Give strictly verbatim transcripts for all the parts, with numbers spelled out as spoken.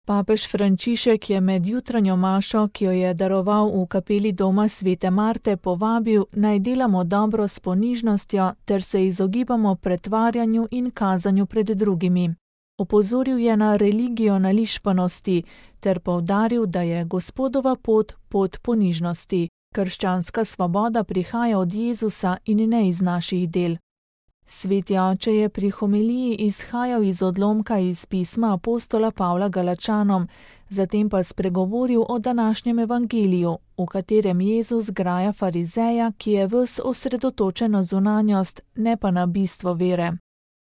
Papež Frančišek je med jutranjo mašo, ki jo je daroval v kapeli doma svete Marte, povabil, naj delamo dobro s ponižnostjo ter se izogibamo pretvarjanju in kazanju pred drugimi. Opozoril je na religijo nališpanosti ter poudaril, da je Gospodova pot pot ponižnosti. Krščanska svoboda prihaja od Jezusa in ne iz naših del. Sveti oče je pri homiliji izhajal iz odlomka iz pisma apostola Pavla Galačanom, zatem pa spregovoril o današnjem evangeliju, v katerem Jezus graja farizeja, ki je ves osredotočen na zunanjost, ne pa na bistvo vere.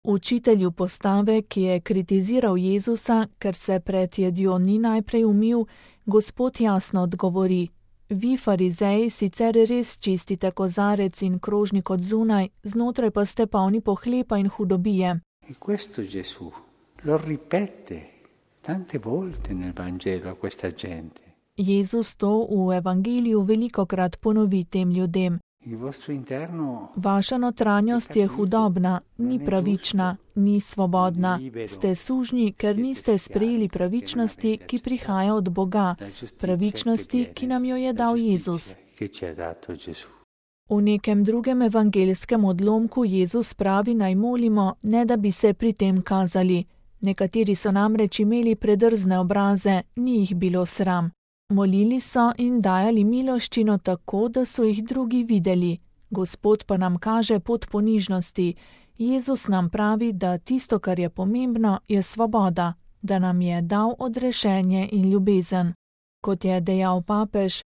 Učitelju postave, ki je kritiziral Jezusa, ker se pred jedjo ni najprej umil, Gospod jasno odgovori: Vi, farizeji, sicer res čistite kozarec in krožnik od zunaj, znotraj pa ste polni pohlepa in hudobije. E questo Gesù lo ripete tante volte nel Vangelo a questa gente. Jezus to v evangeliju velikokrat ponovi tem ljudem. Il vostro interno Vaša notranjost je hudobna, ni pravična, ni svobodna. Ste sužnji, ker niste sprejeli pravičnosti, ki prihaja od Boga, pravičnosti, ki nam jo je dal Jezus. V nekem drugem evangelskem odlomku Jezus pravi, naj molimo, ne da bi se pri tem kazali. Nekateri so namreč imeli predrzne obraze, ni jih bilo sram. Molili so in dajali miloščino tako, da so jih drugi videli. Gospod pa nam kaže pot ponižnosti. Jezus nam pravi, da tisto, kar je pomembno, je svoboda, da nam je dal odrešenje in ljubezen. Kot je dejal papež,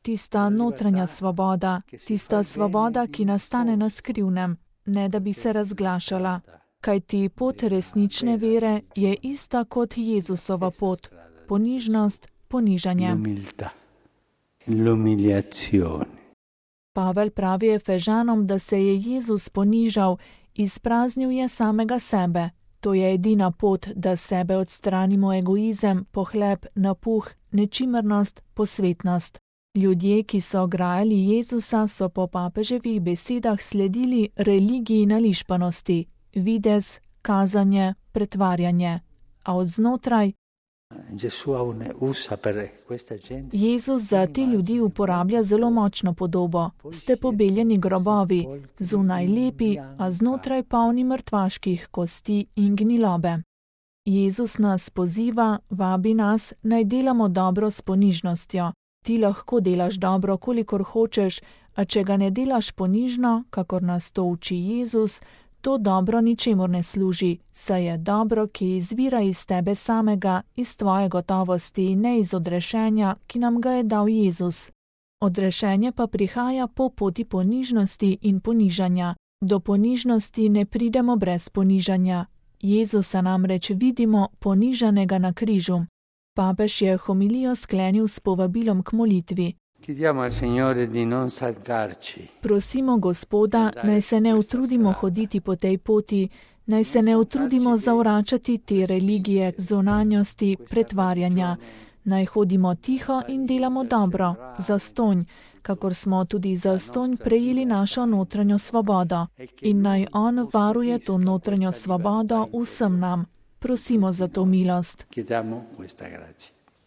tista notranja svoboda, tista svoboda, ki nastane na skrivnem, ne da bi se razglašala. Kajti pot resnične vere je ista kot Jezusova pot, ponižnost, ponižanje. Pavel pravi Efežanom, da se je Jezus ponižal, izpraznil je samega sebe. To je edina pot, da sebe odstranimo egoizem, pohlep, napuh, nečimrnost, posvetnost. Ljudje, ki so grajali Jezusa, so po papeževih besedah sledili religiji nališpanosti. Videz, kazanje, pretvarjanje, a od znotraj. Jezus za te ljudi uporablja zelo močno podobo. Ste pobeljeni grobovi, zunaj lepi, a znotraj polni mrtvaških kosti in gnilobe. Jezus nas poziva, vabi nas, naj delamo dobro s ponižnostjo. Ti lahko delaš dobro, kolikor hočeš, a če ga ne delaš ponižno, kakor nas to uči Jezus, to dobro ničemur ne služi, saj je dobro, ki izvira iz tebe samega, iz tvoje gotovosti, ne iz odrešenja, ki nam ga je dal Jezus. Odrešenje pa prihaja po poti ponižnosti in ponižanja. Do ponižnosti ne pridemo brez ponižanja. Jezusa namreč vidimo ponižanega na križu. Papež je homilijo sklenil s povabilom k molitvi. Prosimo Gospoda, naj se ne utrudimo hoditi po tej poti, naj se ne utrudimo zavračati te religije, zunanjosti, pretvarjanja, naj hodimo tiho in delamo dobro, zastonj, kakor smo tudi zastonj prejeli našo notranjo svobodo. In naj On varuje to notranjo svobodo vsem nam. Prosimo za to milost.